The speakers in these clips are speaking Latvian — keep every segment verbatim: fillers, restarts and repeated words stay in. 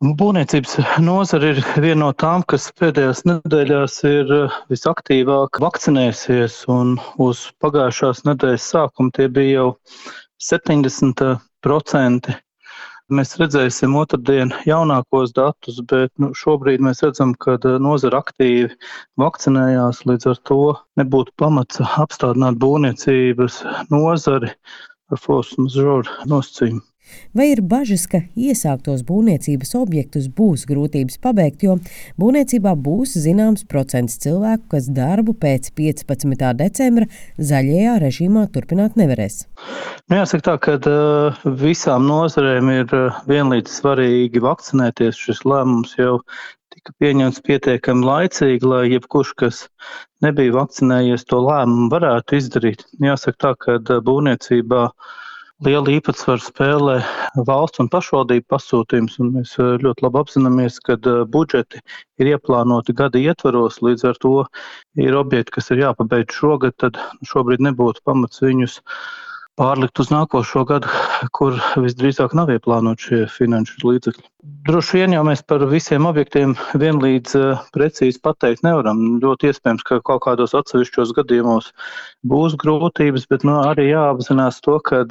Būvniecības nozare ir viena no tām, kas pēdējās nedēļās ir visaktīvāk vakcinējusies, un uz pagājušās nedēļas sākumu tie bija jau septiņdesmit procenti. Mēs redzēsim otrdien jaunākos datus, bet nu, šobrīd mēs redzam, ka nozara aktīvi vakcinējās, līdz ar to nebūtu pamats apstādināt būvniecības nozari ar force majeure nosacījumu. Vai ir bažas, ka iesāktos būvniecības objektus būs grūtības pabeigt, jo būvniecībā būs zināms procents cilvēku, kas darbu pēc piecpadsmitā decembra zaļajā režīmā turpināt nevarēs? Nu, jāsaka tā, ka uh, visām nozarēm ir uh, vienlīdz svarīgi vakcinēties. Šis lēmums jau tika pieņemts pietiekami laicīgi, lai jebkurš, kas nebija vakcinējies, to lēmumu varētu izdarīt. Jāsaka tā, ka uh, būvniecībā liela īpatsvaru spēlē valsts un pašvaldību pasūtījums, un mēs ļoti labi apzināmies, ka budžeti ir ieplānoti gada ietvaros, līdz ar to ir objekti, kas ir jāpabeidz šogad, tad šobrīd nebūtu pamats viņus pārlikt uz nākošo gadu, kur visdrīzāk nav ieplānot šie finanšu līdzekļi. Droši vien jau mēs par visiem objektiem vienlīdz precīzi pateikt nevaram. Ļoti iespējams, ka kaut kādos atsevišķos gadījumos būs grūtības, bet nu, arī jāapzinās to, ka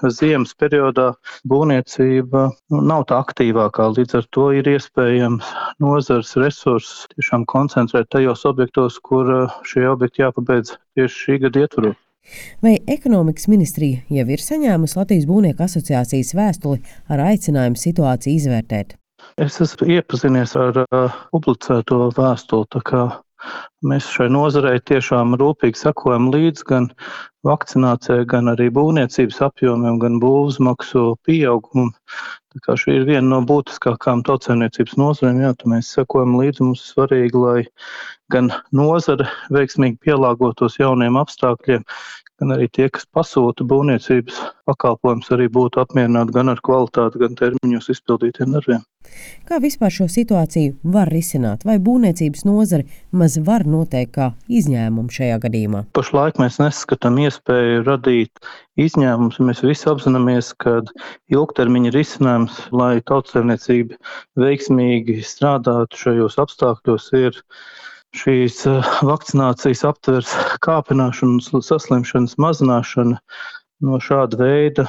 ziemas periodā būvniecība nu, nav tā aktīvākā. Līdz ar to ir iespējams nozares resursus tiešām koncentrēt tajos objektos, kur šie objekti jāpabeidz tieši šī gada ietvaros. Vai ekonomikas ministrija jau ir saņēmusi Latvijas būvnieku asociācijas vēstuli ar aicinājumu situāciju izvērtēt? Es esmu iepazinies ar uh, publicēto vēstuli, tā kā mēs šai nozarei tiešām rūpīgi sekojam līdz gan vakcinācijai, gan arī būvniecības apjomiem, gan būvzmaksu pieaugumam. Tā kā šī ir viena no būtiskākām tautsēmniecības nozarēm, jā, tā mēs sekojam līdzi, mums ir svarīgi, lai gan nozare veiksmīgi pielāgotos jauniem apstākļiem, gan arī tie, kas pasūta būvniecības pakalpojumus, arī būtu apmierināti gan ar kvalitāti, gan termiņos izpildītiem darbiem. Kā vispār šo situāciju var risināt? Vai būvniecības nozare maz var noteikt kā izņēmumu šajā gadījumā? Pašlaik mēs neskatām iespēju radīt izņēmumus. Mēs visi apzināmies, ka ilgtermiņa risinājums, lai tautsēmniecība veiksmīgi strādātu šajos apstākļos, ir šīs vakcinācijas aptvers kāpināšana un saslimšanas mazināšana. No šāda veida,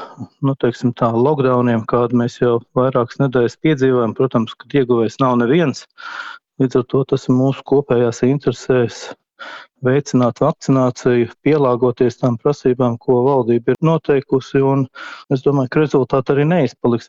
nu, teiksim tā, lockdowniem, kādu mēs jau vairākas nedēļas piedzīvojam, protams, ka ieguvējs nav neviens. Līdz ar to tas ir mūsu kopējās interesēs veicināt vakcināciju, pielāgoties tām prasībām, ko valdība ir noteikusi, un es domāju, ka rezultāti arī neizpaliks.